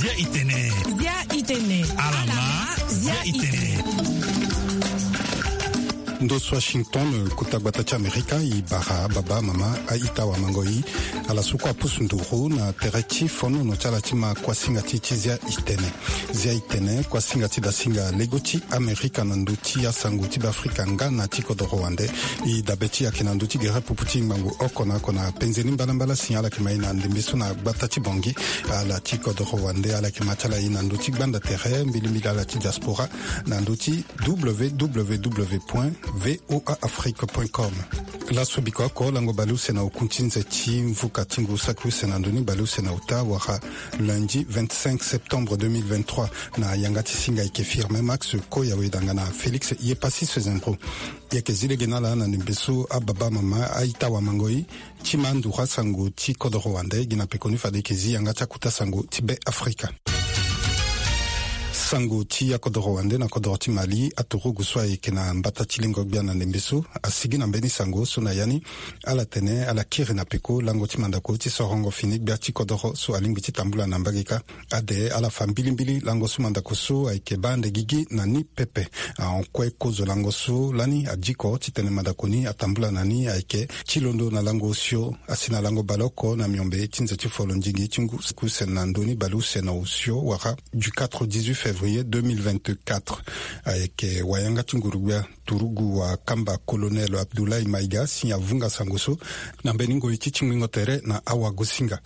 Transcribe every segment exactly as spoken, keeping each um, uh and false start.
Zia itene. Zia itene. Alama. Zia itene. Ndo so Washington, kota gbata ti Amerika, e bara baba, mama, a-ita, wamango-i, ala so kue apusu nduru na tere ti fonono ti ala ti ma kuasinga ti, ti Zia itene. Zia itene, kuasinga ti dasinga lego ti Amerika na ndö ti asango ti Beafrika nga na ti kodoro wande. E dabe ti e ayeke na ndö ti gere pupu ti ngbangbo oko na oko na penze ni mbalambala si ala yeke ma e na ndembe so na gbata ti Bangui. Ala ti kodoro wande, ala yeke ma ti ala e na ndö ti gbanda tere mbilimbili ala ti diaspora na ndö ti W W W point V O A Afrique point com. Laso biko oko lango baleuse na oku ti nze ti mvuka ti ngu saki use na ndö ni baleuse na ota wala lundi vingt-cinq septembre deux mille vingt-trois. Na yanga ti singa ayeke Firmin Max Koyawe danga na Félix Yepassis Sezendro. E yeke zi lege na ala na ndembe so ababa, mama, a-ita, wamango-i, ti ma nduru asango ti kodoro wande, gi na pekoni fade e yeke zi yanga ti akota sango ti Be Afrika. Sango ti akodoro wande na kodoro ti Mali, aturugu so ayeke na mbata ti lengo gbia na ndembe so asigi na mbeni sango so na ya ni ala tene ala kiri na peko lango ti mandako ti sorongo fini gbia ti kodoro so alingbi ti tambula na mbage kâ. Ade ala fa mbilimbili lango so mandako so ayeke baa ande gigi na ni pepe. Ahon kue kozo lango so lani adiko titene mandako ni atambula na ni ayeke ti londo na lango osio asi na lango baleoko na miombe ti nze ti folo ndingi ti ngu saki use na ndö ni baleuse na osio wala du quatre au dix-huit février deux mille vingt-quatre. Ayeke wayanga ti nguru-gbia turugu wakamba Colonel Abdoulaye Maïga si avunga sango so na mbeni ngoi ti tingbingo tere na awagosinga.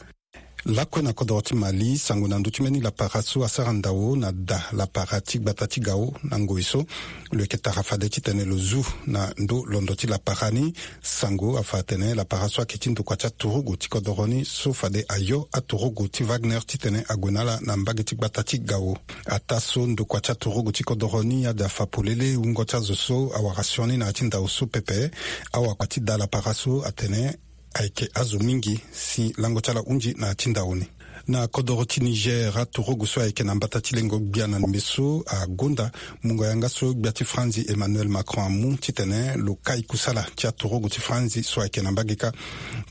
Lakue na kodoro ti Mali, sango na ndö ti mbeni lapara so asara ndao na da lapara ti gbata ti Gao na ngoi so lo yeke tara fade titene lo zu na ndö londo ti lapara ni. Sango afa atene lapara so ayeke ti ndokua ti aturugu ti kodoro ni so fade ayo aturugu ti Wagner titene ague na ala na mbage ti gbata ti Gao. Ataa so ndokua ti aturugu ti kodoro ni ade afa polele wungo ti azo so awara sioni na ya ti ndao so pepe. Awakua ti da lapara so atene ayeke azo mingi si lango ti ala hunzi na ya ti ndao ni. Na kodoro ti Niger, aturugu so ayeke na mbata ti lengo gbia na ndembe so agonda mungo yanga so gbia ti Franzi Emmanuel Macron amu titene lo kai kusala ti aturugu ti Franzi so ayeke na mbage kâ.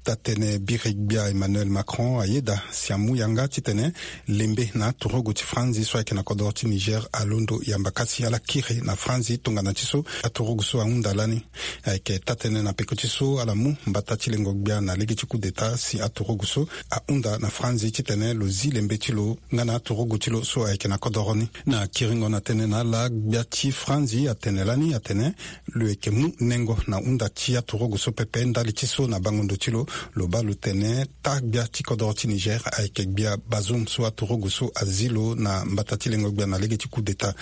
Taa-tënë biri gbia Emmanuel Macron ayeda si amu yanga titene lembe na aturugu ti Franzi so ayeke na kodoro ti Niger alondo yamba kâ si ala kiri na Franzi tongana ti so aturugu so ahunda lani. Ayeke taa-tënë na peko ti so ala mu mbata ti lengo gbia na lege ti coup d'État si aturugu so ahunda na Franzi titene lo zi lembe ti lo nga na aturugu ti lo so ayeke na kodoro ni. Na kiringo na tënë na ala, gbia ti Franzi atene lani atene lo yeke mu nengo na hunda ti aturugu so pepe. Ndali ti so na bango ndo ti lo, lo baa lo tene taa gbia ti kodoro ti Niger ayeke gbia Bazoum so aturugu so azi lo na mbata ti lengo gbia na lege ti coup d'État.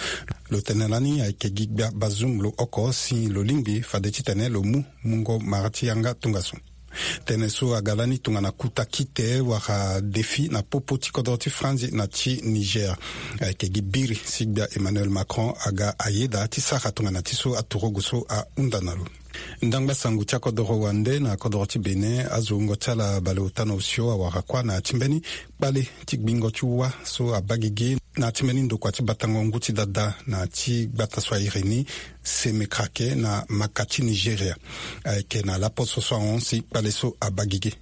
Lo tene lani ayeke gi gbia Bazoum lo oko si lo lingbi fade titene lo mu mungo mara ti yanga tongaso. Tënë so aga lani tongana kuta kite wala defi na popo ti kodoro ti Franzi na ti Niger. Ayeke gi biri si gbia Emmanuel Macron aga ayeda ti sara tongana ti so aturugu so ahunda na lo. Ndangba sango ti akodoro wande na kodoro ti Bénin, azo wungo ti ala baleota na osio awara kuâ na ya ti mbeni kpale ti gbingo ti wâ so abaa gigi na ya ti mbeni ndokua ti batango ngu ti dada na ya ti gbata so a iri ni Semekrake na maka ti Nigeria. Ayeke na laposo so ahon si kpale so abaa gigi.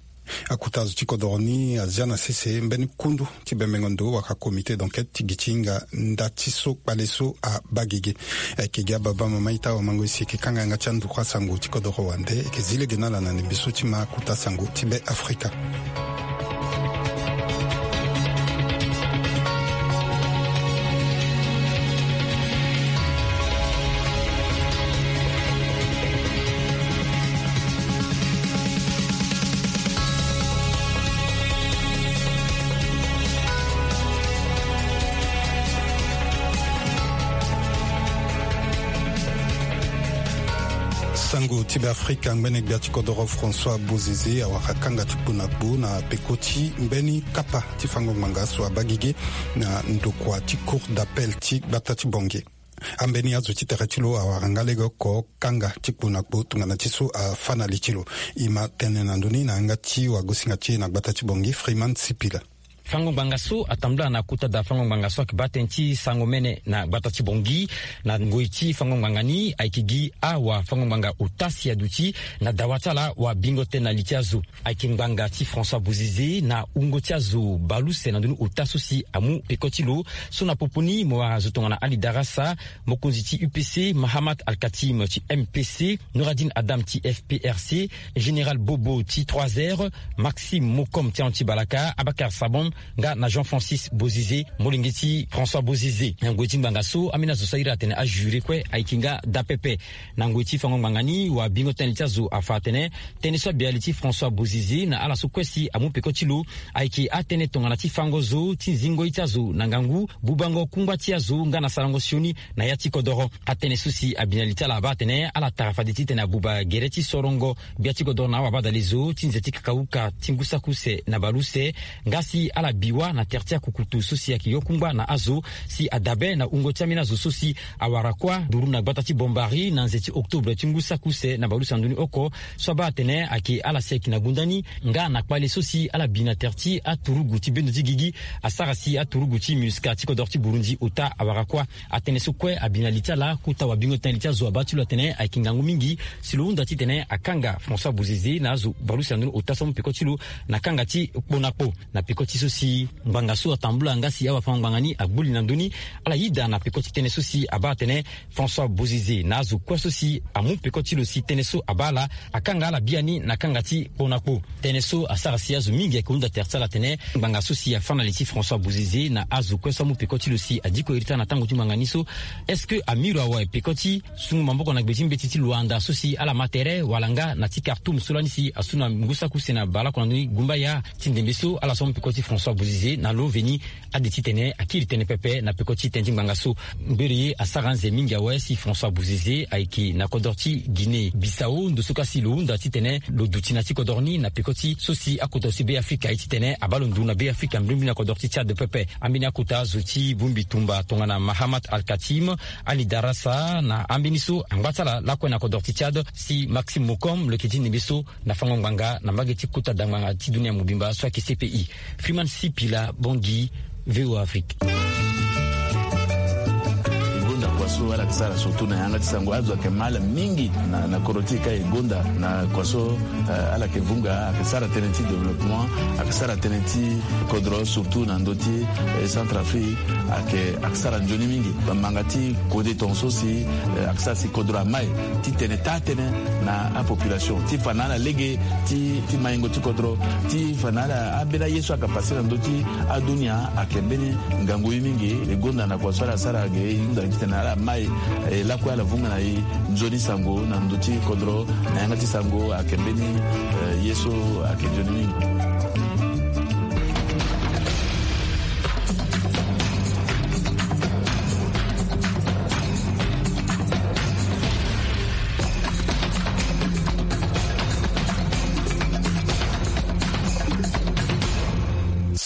Akota azo ti kodoro ni azia na sese mbeni kundu ti bembengo ndo wala comité d'enquête ti gi ti hinga nda ti so kpale so abaa gigi. Ayeke gi ababa, mama, ita, wamango-i, si e yeke kanga yanga ti andokua sango ti kodoro wande, e yeke zi lege na ala na ndembe so ti ma kota sango ti Be Afrika. Sango ti Be Afrika, ngbene gbia ti kodoro François Bozizé awara kanga ti kpo na kpo na peko ti mbeni kapa ti fango ngbanga so abaa gigi na ndokua ti Cour d'appel ti gbata ti Bangui. Ambeni azo ti tere ti lo awara nga lege oko kanga ti kpo na kpo tongana ti so afâ na li ti lo. E ma tene na ndö ni na yanga ti wagosinga ti e na gbata ti Bangui, Freeman Sipila. Fango ngbanga so atambula na kota da fango ngbanga so ayeke baa tënë ti sango mene na gbata ti Bangui. Na ngoi ti fango ngbanga ni ayeke gi awafango ngbanga ota si aduti na dawa ti ala wabingo tënë na li ti azo. Ayeke ngbanga ti François Bozizé na wungo ti azo baleuse na ndoni ota so si amu peko ti lo. So na popo ni mo wara zo tongana Ali Darassa, mokonzi ti U P C, Mahamat Al-Katim ti M P C, Nouradine Adam ti F P R C, Général Bobo ti trois R, Maxime Mokom ti Anti Balaka, Abakar Sabon, nga na Jean Francis Bozizé, molenge ti François Bozizé. Na ngoi ti ngbanga so, ambeni azo so ahiri atene ajuré kue ayeke nga daa pepe. Na ngoi ti fango ngbanga ni, wabingo tënë ti azo afa atene tënë so abi na li ti François Bozizé na ala so kue si amu peko ti lo ayeke atënë tongana ti fango zo, ti zingo ye ti azo na ngangu, bubango kungba ti azo nga na sarango sioni na ya ti kodoro. Atënë so si abi na li ti ala abaa atene ala tara fade titene abuba gere ti sorongo gbia ti kodoro na awabadalezo ti nze ti kakauka ti ngu saki use na baleuse, nga si ala bi wâ na tere ti akukutu so si ayeke yo kungba na azo, si adabe na wungo ti ambeni azo so si awara kuâ nduru na gbata ti Bombari na nze ti octobre ti ngu saki use na baleuse na ndoni oko. So abaa atene ayeke ala si ayeke na gunda ni nga na kpale so si ala bi na tere ti aturugu ti bendo ti gigi, asara si aturugu ti MINUSCA ti kodoro ti Burundi ota awara kuâ. Atënë so kue abi na li ti ala, kota wabingo tënë li ti azo abaa ti lo atene ayeke ngangu mingi si lo hunda titene akanga François Bozizé na azo baleuse na ndoni ota so amu peko ti lo na kanga ti kpo na kpo. Na peko ti so si ngbanga so atambula nga si awafango ngbanga ni agbu li na ndö ni, ala yida na peko ti tënë so si abaa atene François Bozizé na azo kue so si amu peko ti lo si tënë so abaa ala, akanga ala biani na kanga ti kpo na kpo. Tënë so asara si azo mingi ayeke hunda tere ti ala atene ngbanga so si afâ na li ti François Bozizé na azo kue so amu peko ti lo si adiko iri ti ala na tango ti ngbanga ni so, est-ce que amiro awe peko ti sungu maboko na gbe ti mbeti ti Luanda so si ala ma tere, wala nga na ti Khartoum so lani si asu na ngu saki use na baleoko na ndoni gumbaya ti ndembe so, ala so amu peko ti François Bozizé na lo veni ade titene akiri tënë pepe na peko ti tënë ti ngbanga so. Ngbere ye asara anze mingi awe si François Bozizé ayeke na kodro ti Guinée Bissau, ndo so ka si lo hunda titene lo duti na ti kodro ni na peko ti so si akota zo ti Be Afrika aye titene abaa lo nduru na Be Afrika mbrimbri na kodro ti Tchad pepe. Ambeni akota zo ti bongbi tumba tongana Mahamat Al-Katim, Ali Darassa na ambeni so angba ti ala lakue na kodro ti Tchad, si Maxime Mokom lo yeke ti ndembe so na fango ngbanga na mbage ti kota da ngbanga ti dunia mobimba so ayeke C P I. Freeman Sipila, Bangui, V O A Afrique. E gonda kua so ala yeke sara surtout na yanga ti sango, azo ayeke ma ala mingi na, na kodro ti e ka e gonda na kua so, eh, ala yeke vunga, ayeke sara tënë ti développement, ayeke sara tënë ti kodro surtout na ndö ti, eh, Centrafrique, ayeke, ayeke sara nzoni mingi. Bamanga ti kode tongaso si, eh, ayeke sara si kodro amai titene taa tënë na apopulation ti fa na ala lege ti, ti maingo ti kodro, ti fa na ala ambeni aye so ayeke pase na ndö ti adunia ayeke mbeni ngangu ye mingi. E gonda na kua so ala sara ge, e hunda titene ala mai, eh, lakue ala vunga na e nzoni sango na ndö ti kodro, na yanga ti sango ayeke mbeni, eh, ye so ayeke nzoni mingi.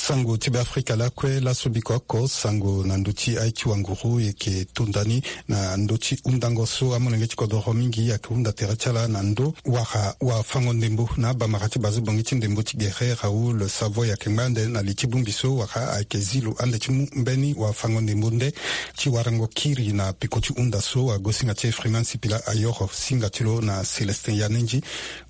Sango ti Be Afrika lakue laso biko oko sango na ndö ti aye ti wanguru e yeke tonda ni na ndö ti hundango so amolenge ti kodoro mingi ayeke hunda tere ti ala na ndö wala wafango ndembo na abamara ti bazo bongi ti ndembo ti gere Raoul Savoy ayeke ngba ande na li ti bongbi so wala ayeke zi lo ande ti mu mbeni wafango ndembo nde ti warango kiri na peko ti hunda so. Agosinga ti e Freeman Sipila ayoro singa ti lo na Célestin Yanenji,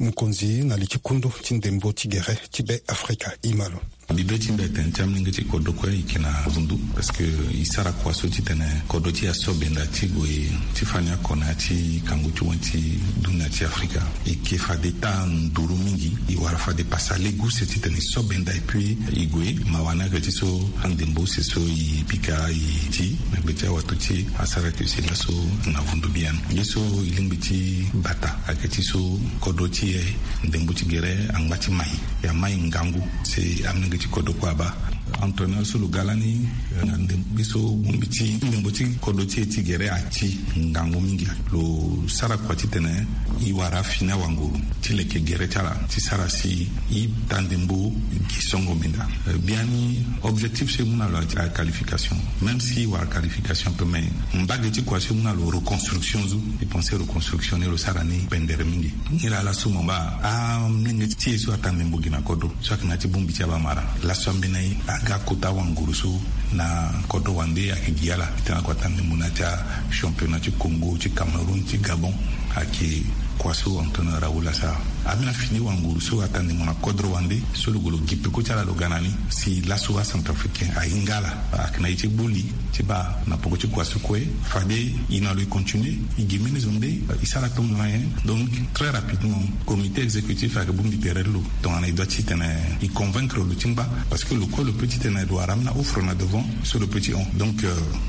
mokonzi na li ti kundu ti ndembo ti gere ti Be Afrika. Ima lo. Mbi be ti mbi atene ti amolenge ti kodro kue e yeke na vundu parce que e sara kua so titene kodro ti e aso benda ti gue ti fani oko na ya ti kangu ti wen ti dunia ti Afrika. E yeke fade taa nduru mingi, e wara fade pasa lege use titene e so benda et puis e gue. Mawa ni ayeke ti so andembo use so e pika e ti na gbe ti awato ti e asara yeke si laso na vundu biani. Ye so e lingbi ti bata ayeke ti so kodro ti e ndembo ti gere angba ti mai, e amai ngangu si amolenge ti kodro kue abaa. Entraîneur so lo ga lani, eh, na ndembe so bongbi ti ndembo ti kodro ti e ti gere ati ngangu mingi. Lo sara kua titene e wara afini awanguru ti leke gere ti ala ti sara si e taa ndembo gi songo menda. Eh, biani objectif so e mu na lo a qualification. Même si e wara qualification pe, mais mbage ti kua so e mu na lo reconstruction so, e pense reconstruction ni lo sara ni pendere mingi. Nilaa laso mo baa amolenge ti e so ataa ndembo gi na kodro so ayeke na ya ti bongbi ti abamara. Laso ambeni aye Aga kota wanguru so na kodro wande ayeke gi ala titene ako ata ndembo na ya ti achampionnat ti Congo, ti Cameroun, ti Gabon. Ayeke kua so entraîneur awula sara. Ambeni afini wanguru so ata ndembo na kodro wande so lo gue lo gi peko ti ala lo ga na ni si laso acentrafricain ahinga ala. Ayeke na ye ti gbu li ti baa na poko ti kua so kue fade e na lo e continuer, e gi mbeni zo nde e sara tongana nyen. Donc très rapidement comité exécutif ayeke bongbi tere ti lo tongana e doit titene e convaincre lo ti ngba. Parce que lo kue lo peut titene lo wara ambeni offre na devant so lo peut ti hon. Donc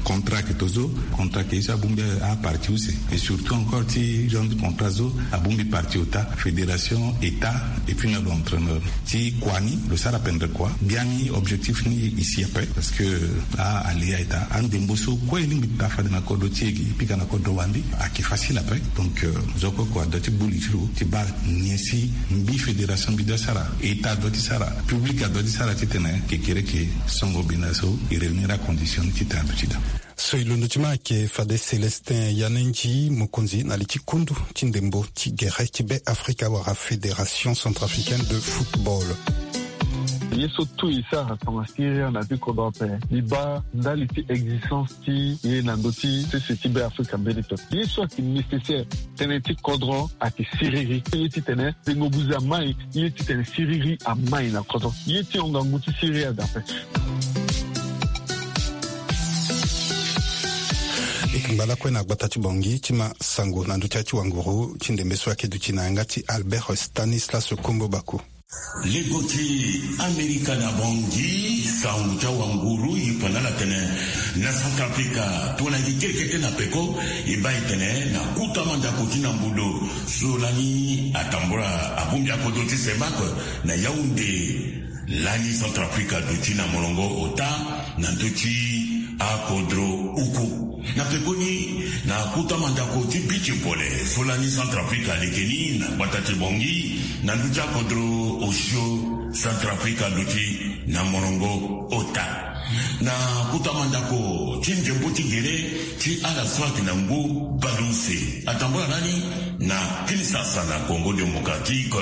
contrat ayeke to so, contrat ayeke ye so abongbi aparti use. Et surtout encore ti genre de contrat so abongbi parti ota, fédération, état, et puis na lo entraîneur. Ti kua ni lo sara pendere kua. Biani objectif ni e si ape parce que a, alea état andembo so kue e lingbi taa fade na kodro ti e gi e pika na kodro wande ayeke facile ape. Donc zo kue kua adoit ti gbu li ti lo ti baa nyen si mbi fédération mbi doit sara, état adoit ti sara, public adoit ti sara titene kekereke songo benda so e réunir acondition ni titene aduti daa. So e londo ti ma ayeke fade Célestin Yanenji, mokonzi na li ti kundu ti ndembo ti gere ti Be Afrika wala Fédération Centrafricaine de Football. Ye so tout e sara tongana siriri na ya ti kodro ape, e baa ndali ti existence ti e na ndö ti sese ti Be Afrika mbeni pepe. Ye so ayeke nécessaire tënë ti kodro ayeke siriri. Ye titene tengo buze amai, ye titene siriri amai na kodro. Ye ti hon ngangu ti siriri aga ape. E yeke ngba lakue na gbata ti Bangui ti ma sango na ndö ti ya ti wanguru ti ndembe so ayeke duti na yanga ti Albert Stanislas Kombo Bako. Lego ti Amerika na Bangui, sango ti awanguru e fa na ala tene na Centrafrica tongana e gi kerekete na peko, e baa e tene na kota mandako ti na mbudo so lani atambula abongbi akodro ti CEMAC na Yaoundé. Lani Centrafrica aduti na molongo ota na ndö ti akodro uku. Na pekoni, na kota mandako ti beach volley so lani Centrafrica aleke ni na gbata ti Bangui, na ndö ti akodro osio, Centrafrica aduti na molongo ota. Na kota mandako ti ndembo ti gere ti ala so ayeke na ngu baleuse atambula lani na Kinshasa na Congo Démocratique,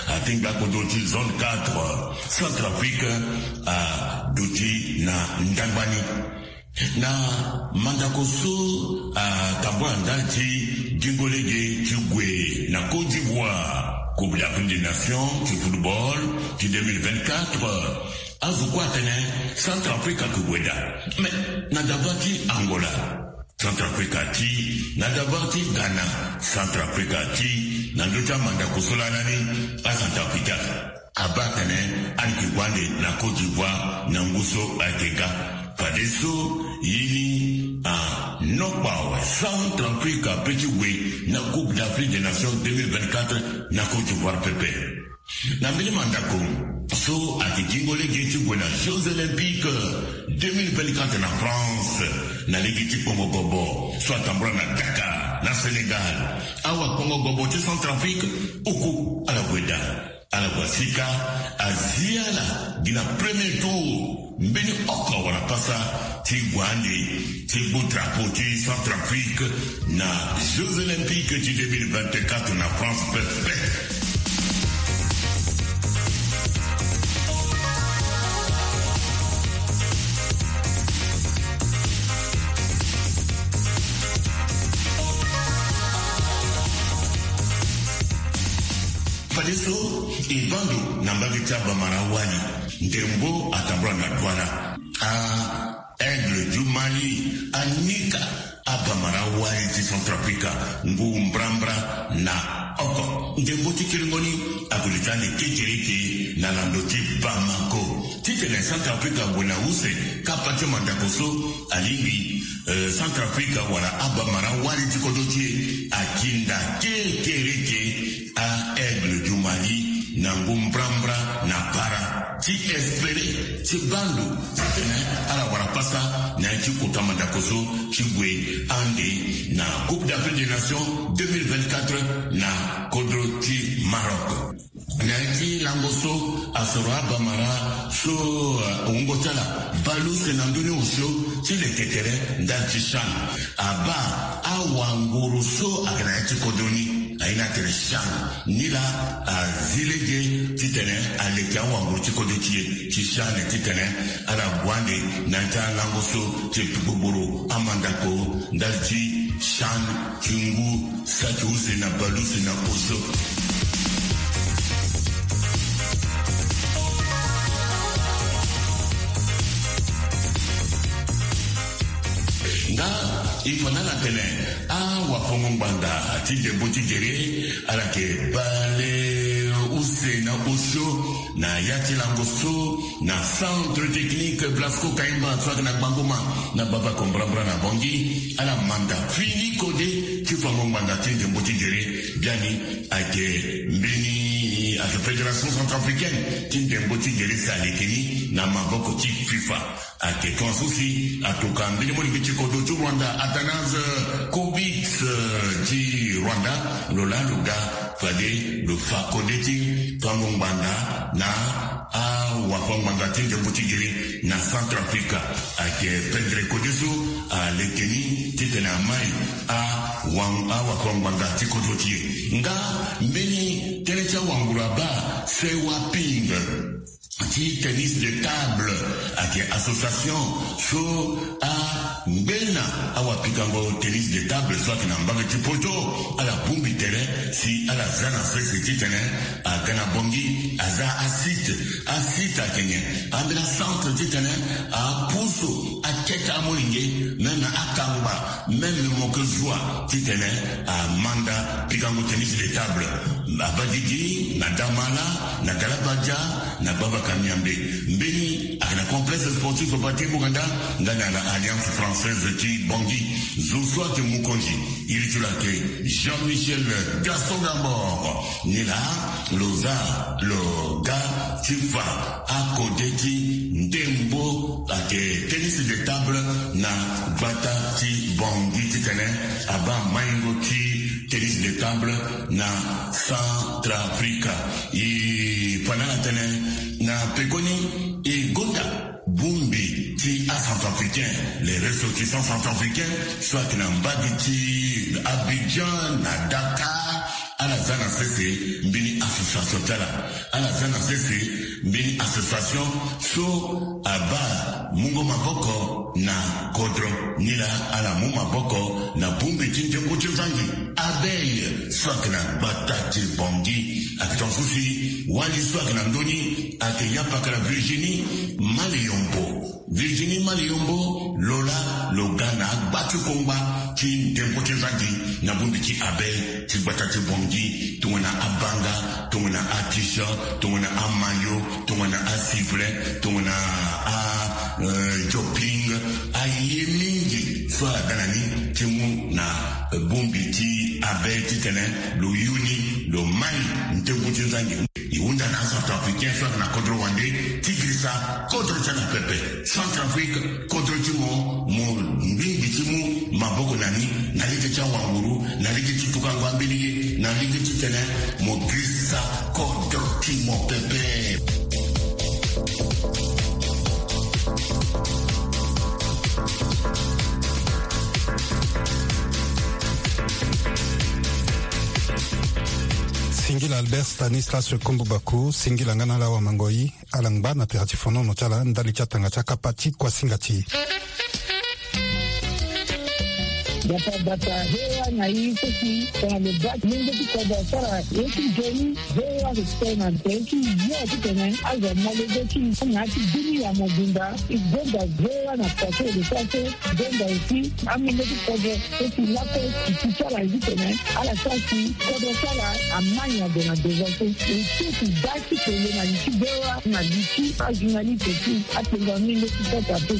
atingbi akodro ti zone quatre, Centrafrique aduti na ndangba ni. Na mandako so atambula ndali ti gingo lege ti gue na Côte d'Ivoire, Coupe d'Afrique des Nations ti football ti deux mille vingt-quatre, azo kue atene Centrafrique ayeke gue daa. Mais na davar ti Angola, Centrafrique ati, na davar ti Ghana, Centrafrique ati, na ndö ti amandako so lani aCentrafricain abaa atene ala yeke gue ande na Côte d'Ivoire na ngu so ayeke ga. Fadeso ye ni anokpa awe, Centrafrique ape ti gue na Coupe d'Afrique des Nations deux mille vingt-quatre na Côte d'Ivoire pepe. Na mbeni mandako so ayeke gingo lege ti gue na Jeux Olympiques deux mille vingt-quatre na France, na lege ti kpongo gobo so atambula na Dakar na Sénégal, awa kpongo gobo ti Centrafrique oku ala gue daa. Ala gue sika, azi ala gi na premier tour. Mbeni oko awara pasa ti gue ande ti gbu drapeau ti Centrafrique na Jeux Olympiques ti deux mille vingt-quatre na France pepe. Fadeso e baa ndo na mbage ti abamara wali, ndembo atambula na Douala. A Aigle du Mali anika abamara wali ti Centrafrique ngu mbrambra na oko. Ndembo ti kiringo ni ague duti ande kekereke na lando ti Bamako. Titene Centrafrique ague na use, kapa ti mandako so alingbi, eh, Centrafrique wala abamara wali ti kodro ti e akinda kekereke a Aigle du Mali na ngu mbrambra na para ti espérer ti baa ndo titene ala wara pasa na ya ti kota mandako so ti gue ande na Coupe d'Afrique des Nations deux mille vingt-quatre na kodro ti Maroc. Na ya ti lango so asoro abamara so, eh, wungo ti ala baleuse na ndö ni osio ti leke tere ndali ti CHAN, abaa awanguru so ayeke na ya ti kodro ni. Aye na tene Chan ni laa azi lege titene aleke awanguru ti kodro ti e ti Chan titene ala gue ande na ya ti alango so ti kpikpogboro amandako ndali ti Chan ti ngu saki use na bale use na osio. Nga e fa na ala tene awafango-ngbanda ti ndembo ti gere ala yeke bale use na osio na ya ti lango so na Centre Technique Blasco Kaimba so ayeke na Gbangoma na Bamako mbrambra na Bangui. Ala manda fini kode ti fango-ngbanda ti ndembo ti gere. Biani ayeke mbeni ayeke Fédération Centrafricaine ti ndembo ti gere si aleke ni na maboko ti FIFA. Ayeke tongaso si atoka mbeni molenge ti kodro ti Rwanda, Athanase Kobit, eh, ti Rwanda, lo laa lo ga fade lo fa kode ti fango-ngbanda na awafango-ngbanda ti ndembo ti gere na Centrafrique. Ayeke pendere kode so aleke ni titene amai awa- awafango-ngbanda ti kodro ti e. Nga mbeni tënë ti awanguru abaa, Sewa Ping ti tennis de table ayeke association so angbe na awapikango tennis de table so ayeke na mbage ti poto. Ala bongbi tere si ala za na sese titene aga na Bangui aza asite. Asite ayeke nyen? Ambeni acentre titene apusu akete amolenge même akangba même mo ke zua titene amanda pikango tennis de table. Abadidi na Damala, na Galabadia, na Gbabaka Miambe. Mbeni ayeke na complexe sportif Patrick Boganda nga na la Alliance Française ti Bangui. Zo so ayeke mokonzi iri ti lo ayeke Jean-Michel Gaston Gambor. Ni laa lo za lo ga ti fa akode ti ndembo ayeke tennis de table na gbata ti Bangui titene abaa maingo ti tennis de table na Centrafrique. E fa na ala tene na pekoni e gonda bongbi ti acentrafricain, les ressortissants centrafricains so ayeke na mbage ti Abidjan na Dakar. Ala za na sese mbeni association ti ala. Ala za na sese mbeni association so abaa mungo maboko na kodro. Ni laa ala mu maboko na bongbi ti nzengo ti nzangi Abeille so ayeke na gbata ti Bangui. Ayeke tongaso si wali so ayeke na ndö ni ayeke yapakara Virginie Maleyombo. Virginie Maleyombo lo laa lo ga na agba ti kongba ti ndembo ti nzangi na bongbi ti Abeille ti gbata ti Bangui, tongana abanga, tongana aticha, tongana amayo, tongana asifle, tongana a, eh, joping. Aye mingi so ala ga na ni ti mu na, eh, bongbi ti Abeille titene lo yu ni lo mai ndengo ti nzangi. E hunda na acentrafricain so ayeke na kodro wande ti girisa kodro ti ala pepe. Centrafrique, kodro ti mo, mo ngbi ngbi ti mu maboko na ni na lege ti awanguru, na lege ti tukango ambeni ye, na lege ti tene mo girisa kodro ti mo pepe. Singila Albert Stanislas Kombo Baku, singila nga na ala wamangoi. Ala ngba na tere ti fonono ti ala ndali ti atanga ti akapa ti kuasinga ti e. Bata bata, hewa na i seki tongana lo baa lenge ti kodro asara ye ti nzoni. Hewa lo tene na tere ti yo titene azo amolenge ti na ya ti bini ya mobimba. E gonda hewa na pase lo sase. Donda aussi amolenge ti kodro so si lakue ti ti ti ala ye titene ala sara si kodro ti ala amai na gue na devant so. E so ti baa ti pele na li ti bewa na li ti ajournaliste ti apengo amolenge ti kota pe.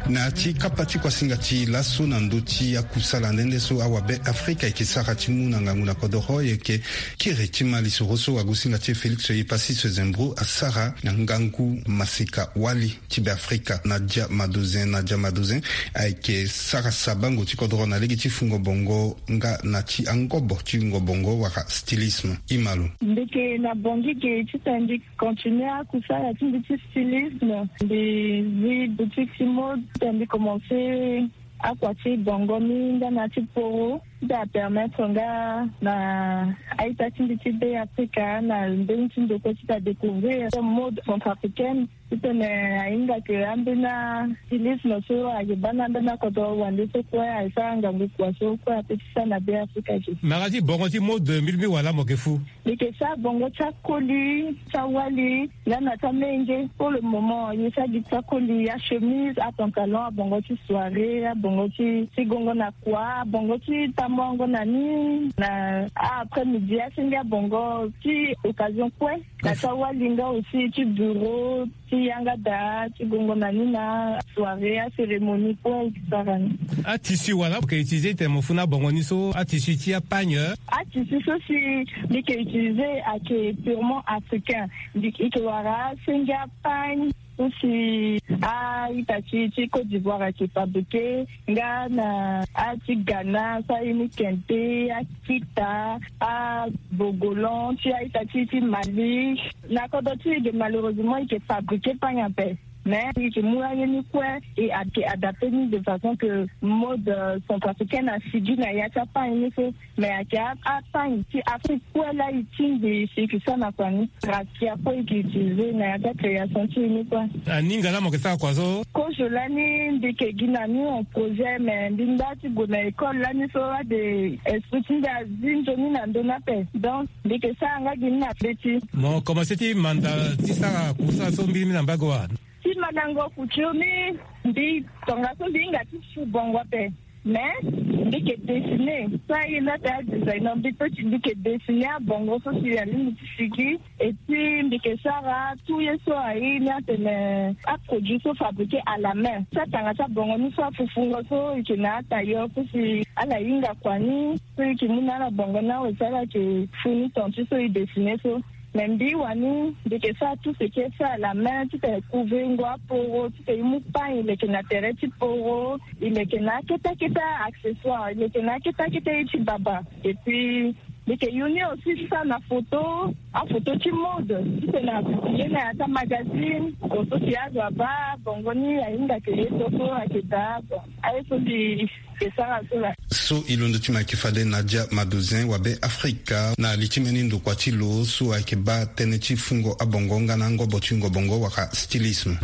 Na ya ti kapa ti kuasinga ti laso na ndö ti akusala nde nde so awabe Afrika ayeke sara ti mu na ngangu na kodoro, e yeke kiri ti malisoro so agosinga ti e Félix Epassis Zembro asara na ngangu maseka wali ti Beafrika Nadia Madozin. Nadia Madozin ayeke sara sabango ti kodoro na lege ti fungo bongo nga na ti angobo ti wungo bongo wala stylisme. Imalo. Mbi yeke na Bangui ge titene mbi continuer akusala ti mbi ti stylisme. Mbi zi boutique ti mode. Ti mbi commencé akua ti bongo ni nga na ti poro ti apermettre nga na a-ita ti mbi ti be afrika na mbeni ti ndokue ti ta découvrir mode centrafricaine. Ti tene ahinga ke ambeni stylisme so ayeke baa na ambeni akodro wande so kue ayeke sara ngangu kua so kue ape ti sara na be afrika ke. Mara ti bongo ti mode mbi lingbi wala mo yeke fu. Mbi yeke sara bongo ti akoli ti awali nga na ti amenge. Pour le moment ye sara gi ti akoli, achemise, apantalon, abongo ti soirée, abongo ti ti gongo na kua, abongo ti tamboango na ni na a-après midi, asenge abongo ti occasion kue. Na ti awali nga aussi ti bureau, ti yanga daa ti gongo na ni na soirée, acérémonie kue e sara ni. Atisi wala mo yeke utiliser ti tene mo fu na abongo ni so, atisi ti apagne? Atisi so si mbi yeke utiliser ayeke purement africain. Mbi yeke wara asenge apagne so si a-ita ti ti Côte d'Ivoire ayeke fabriqué nga na a ti Ghana so aye ni kente, akita, abogolan ti a-ita ti ti Mali. Na kodro ti e ge malheureusement e yeke fabriqué pagne ape. Mais e yeke mu aye ni kue e ayeke adapté ni de façon que mode centrafricaine asigi na ya ti apagne ni so. Mais ayeke apagne ti Afrique kue laa e tingbi si e yeke sara na kua ni. Rakia kue e yeke utilisé na ya ti acréation ti e ni kue. Aninga laa mo yeke sara kua so? Kozo lani mbi yeke gi na ni en projet, mais mbi nda ti gue na école lani so ade esprit ti mbi azi nzoni na ndö ni ape. Donc mbi yeke sara nga gi ni na be ti. Mo commencé ti manda ti sara kusa so mbi mi na mbage wa? Ti mandango couture ni, mbi tongaso mbi hinga ti su bongo ape. Mais mbi yeke dessiner so aye ni ata designer, mbi peut ti mbi yeke dessiner abongo so si alingbi ti sigi. Et puis mbi yeke sara tout ye so aye ni atene aproduit so fabriqué à la main so atanga ti abongo ni so afufungo so e yeke na atailleur so si ala hinga kua ni so e yeke mu na ala bongo ni awe so ala yeke fu ni ton ti so e dessiner so. Mais mbi wani mbi yeke sara tout ce qui est fait à la main ti tene couver ngo aporo ti tene e mu pagne e leke na tere ti poro, e leke na akete akete accessoire, e leke na akete akete ye ti baba. Et puis mbi yeke yu ni aussi ti sara na photo, aphoto ti mode ti tene apublié na ya ti amagazine. Photo si azo abaa bongo ni ahinga ke ye so so ayeke daa. Bon, aye so mbi yeke sara so laa. So e londo ti mo ayeke fade Nadia Madozin wa Be Afrika na li ti mbeni ndokua ti lo so ayeke baa tënë ti fungo abongo nga na angobo ti wungo bongo wala stylisme.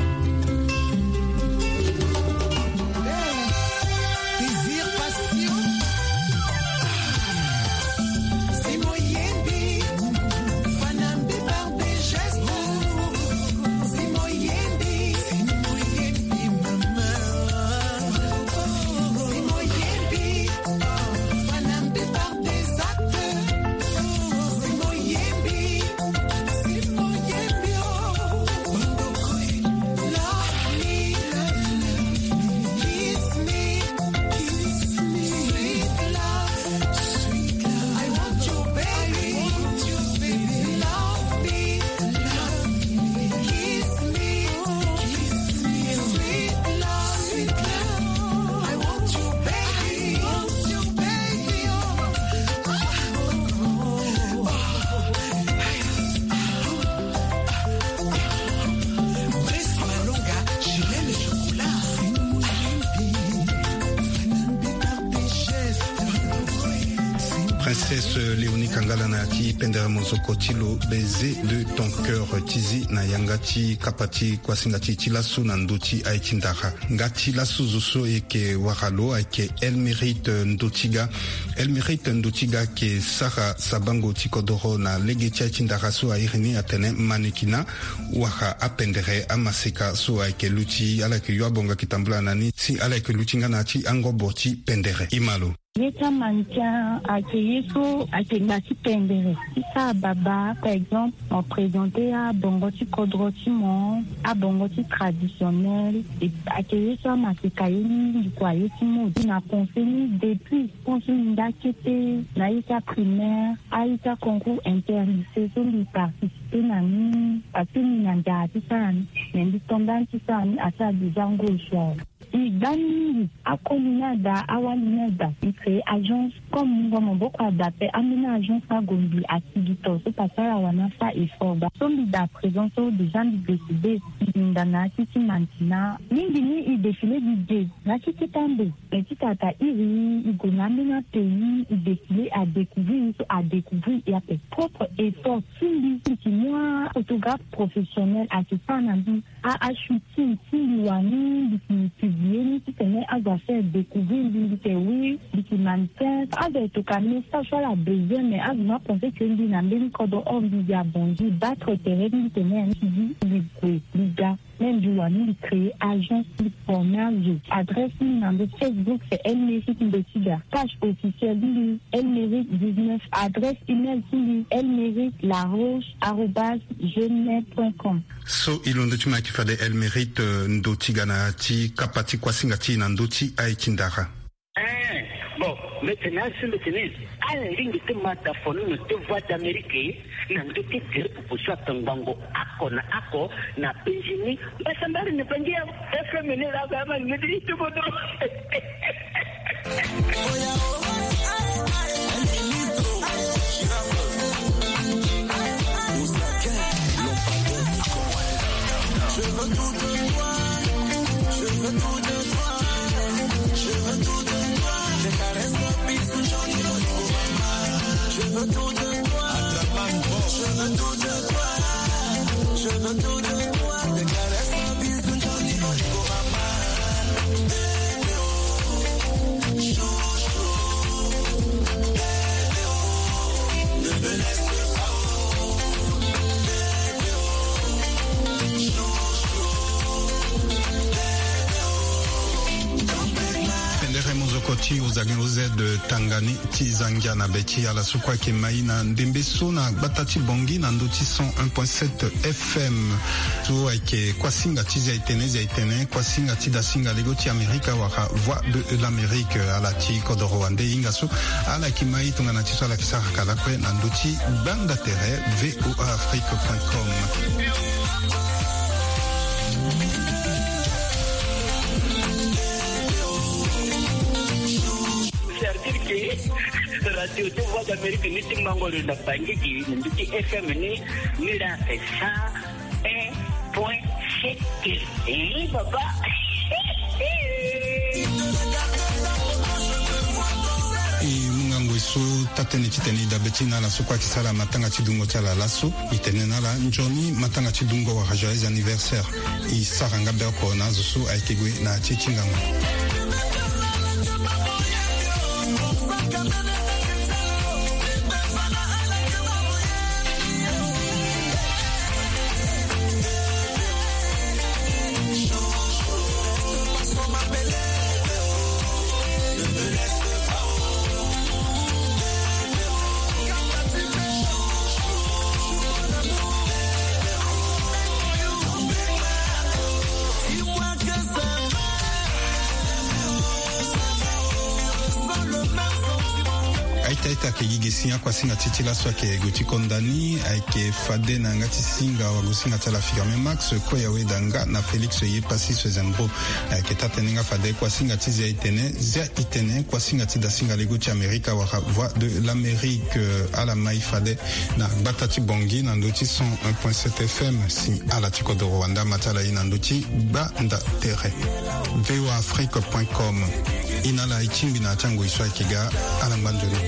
Princesse Léonie Kangala na ya ti pendere mozoko ti lo, baiser de ton cœur, ti zi na yanga ti kapa ti kuasinga ti e ti laso na ndö ti aye ti ndara. Nga ti laso zo so e yeke wara lo ayeke Elmérite Ndotiga. Elmérite Ndotiga ayeke sara sabango ti kodoro na lege ti aye ti ndara so a iri ni atene mannequinat, wala apendere amaseka so ayeke luti, ala yeke yo abonga yeke tambula na ni si ala yeke luti nga na ya ti angobo ti pendere. E ma lo. Ye ti amannequin ayeke ye so ayeke na ti pendere ti sara baba, par exemple mo présenter abongo ti kodro ti mo, abongo ti traditionnel. Ayeke ye so amaseka ye ni, mbi kua ye ti mode na pensé ni depuis, pense ni nda kete na ye ti aprimaire, aye ti aconcours interlycée so mbi participer na ni parce que mbi na nzara ti sara ni. Mais mbi tonda ni ti sara ni asara déjà ngo echoué. E gba mingi akoli ni ada, awali ni ada. E créer agence. Comme mungo maboko ada pe, ambeni agence ni ague mbi asigi to so pasara wani asa effort gba. So mbi da présent so déjà mbi décidé. Mbi hinda na ya ti ti mantina. Mingi ni e défilé gi ge na ya ti keta mbe. Mais ti tata iri e gue na ambeni apays, e défilé, adécouvrir e so, adécouvrir e ape. Propre effort ti mbi, mbi yeke mu aphotographe professionnel ayeke sara na mbi a, ashooting ti mbi wani, mbi yeke publié ni titene azo afaire découvrir mbi, mbi yeke oui, mbi yeke mannequin. Azo ayeke toka message so ala besoin, mais azo ni apensé que mbi na mbeni kodro, or mbi yeke abongi battre terrain ti mbi tene mbi gue mbi ga. Même mbi wani mbi créer agence, mbi former azo. Adresse ni na ndo Facebook c'est El Mérite Ndotiga. Page officielle ni El Mérite dix-neuf. Adresse email ti mbi, elmérite laroche arobase gmail point com. So e londo ti ma ayeke fade El Mérite, euh, Ndotiga, na ya ti kapa ti kuasinga ti e na ndö ti aye ti ndara. Eh, bon, mbi tene asi, mbi tene ala lingbi ti ma da foni na te Voix d'Amérique na ndö ti tere popo so ayeke ngbangbo oko na oko na penzi ni. Mbasambari ni penzi ya F M ni la, ba ma ni ti kodro. Je veux tout de toi, je veux tout de toi, je veux tout de toi. Tes caresses, tes bisous, jolis mots, maman. Je veux tout de toi, je veux tout de toi, je veux tout de toi. Tes caresses, tes bisous, jolis mots, maman. Bébé, oh, chouchou. Pendere mozoko ti Ozagin O Z Tangani ti Zangia na be ti ala so kue ayeke mai na ndembe so na gbata ti Bangui na ndö ti cent un point sept F M. So ayeke kuasinga ti Zia-Itene, Zia-Itene, kuasinga ti dasinga lego ti Amerika wala Voix de l'Amérique. Ala ti kodoro wande hinga so ala yeke mai tongana ti so ala yeke sara ka lakue na ndö ti gbanda tere V O A Afrique point com. C'est-à-dire que radio ti Voix d'Amérique ni ti mango lo na Bangui gi na ndö ti F M ni, ni la cent un point sept. Eh, papa. E mu ngangu so taa-tënë titene e dabe ti na ala so kue ayeke sara matanga ti dungo ti ala laso. E tene na ala nzoni matanga ti dungo wala joyeux anniversaire. E sara nga be oko na azo so ayeke gue na ya ti e ti ngangu. Aita aita ayeke gi ge si akuasinga ti e ti laso ayeke gue ti konda ni, ayeke fade na yanga ti singa wagosinga ti ala Firmin Max, kue ya weda nga na Félix Yepassis Zembro. Ayeke taa-tënë nga fade kuasinga ti Zia-Itene, Zia-Itene, kuasinga ti dasinga lego ti Amerika wala Voix de l'Amérique. Ala mai fade na gbata ti Bangui na ndö ti cent un point sept F M. Si ala ti kodoro wande ama ti ala ye na ndö ti gbanda tere. V O A Afrique point com. E na ala e tingbi na ya ti angoi so ayeke ga. Ala ngba nzoni.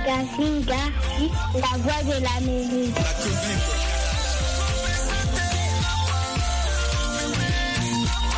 Gafinga, la voix de l'Amérique.